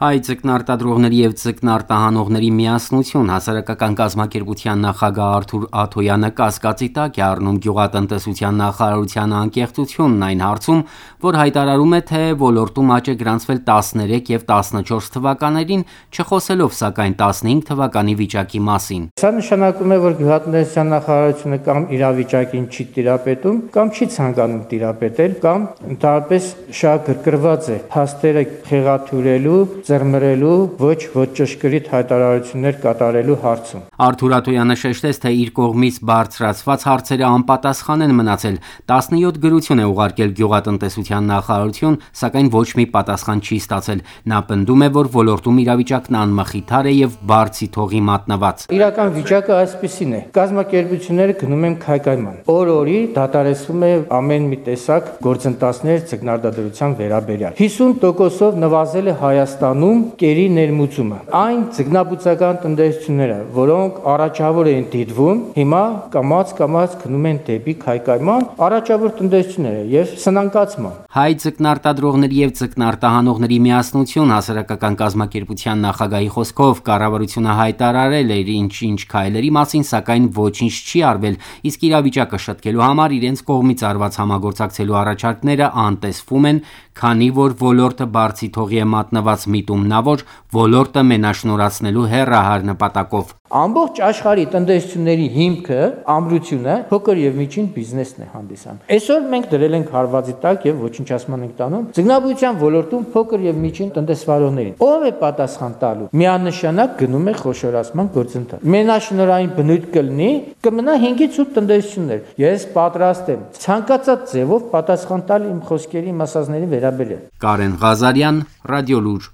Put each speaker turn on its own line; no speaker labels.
Հայ ձկնարտադրողների և ձկնարտահանողների միասնություն հասարակական կազմակերպության նախագահ Արթուր Աթոյանը կասկածի տակ է առնում գյուղատնտեսության նախարարության անկեղծությունն այն հարցում, որ հայտարարում է, թե ոլորտում աճ է գրանցվել 13 և 14 թվականներին, չխոսելով սակայն 15 թվականի վիճակի մասին։
Սա նշանակում է, որ գյուղատնտեսության նախարարությունը կամ իրավիճակին չի տիրապետում, կամ չի ցանկանում տիրապետել, կամ ընդհանրապես շատ գրկռված է փաստերը խեղաթյուրելու, ծռմռելու, ոչ ճշգրիտ հայտարարություններ կատարելու հարցում։
Արթուր Աթոյանը շեշտեց, թե իր կողմից բարձրացված հարցերը անպատասխան են մնացել, 17 գրություն է ուղարկել գյուղատնտեսության նախարարություն, սակայն ոչ մի պատասխան չի ստացել։ Նա պնդում է, որ ոլորտում իրավիճակն անմխիթար է և բարձի թողի մատնված։
Իրական վիճակը այսպիսին է. կազմակերպությունները գնում են քայքայման։ Օր-օրի դադարեցվում է ամեն մի տեսակ գործընթացներ ձկնարտադրության վերաբերյալ։ 50%-ով նվազել է Հայաստանում կերի ներմուծումը։ Այն ձկնաբուծական տնտեսությունները, որոնք առաջավոր էին դիտվում, հիմա կամաց գնում են դեպի քայքայման, առաջավոր տնտեսությունները եւ սնանկացման։
Հայ ձկնարտադրողների և ձկնարտահանողների միասնություն հասարակական կազմակերպության նախագահի խոսքով կառավարությունը հայտարարել էր ինչ քայլերի մասին, սակայն ոչինչ չի արվել, իսկ իրավիճակը շտկելու համար իրենց կողմից արված համագործակցելու առաջարկները անտեսվում են, քանի որ ոլորտը բարձի թողի է մատնված միտումնավոր, ոլորտը մենաշնորհացնելու հեռահար նպատակով։
Ամբողջ աշխարհի տնտեսությունների հիմքը, ամրությունը փոքր եւ միջին բիզնեսն է հանդիսանում։ Այսօր մենք դրել ենք հարվածի տակ եւ ոչնչացման ենք տանում ձկնաբուծության ոլորտում փոքր եւ միջին տնտեսվարողներին։ Ո՞վ է պատասխան տալու։ Միանշանակ գնում է խոշորացման գործընթաց։ Մենաշնորհային բնույթ կմնա 5-ից 8 տնտեսություններ։ Ես պատրաստ եմ ցանկացած ձևով պատասխան տալ իմ խոսքերի, իմ ասածների վերաբերյալ։
Կարեն Ղազարյան, Ռադիոլուր։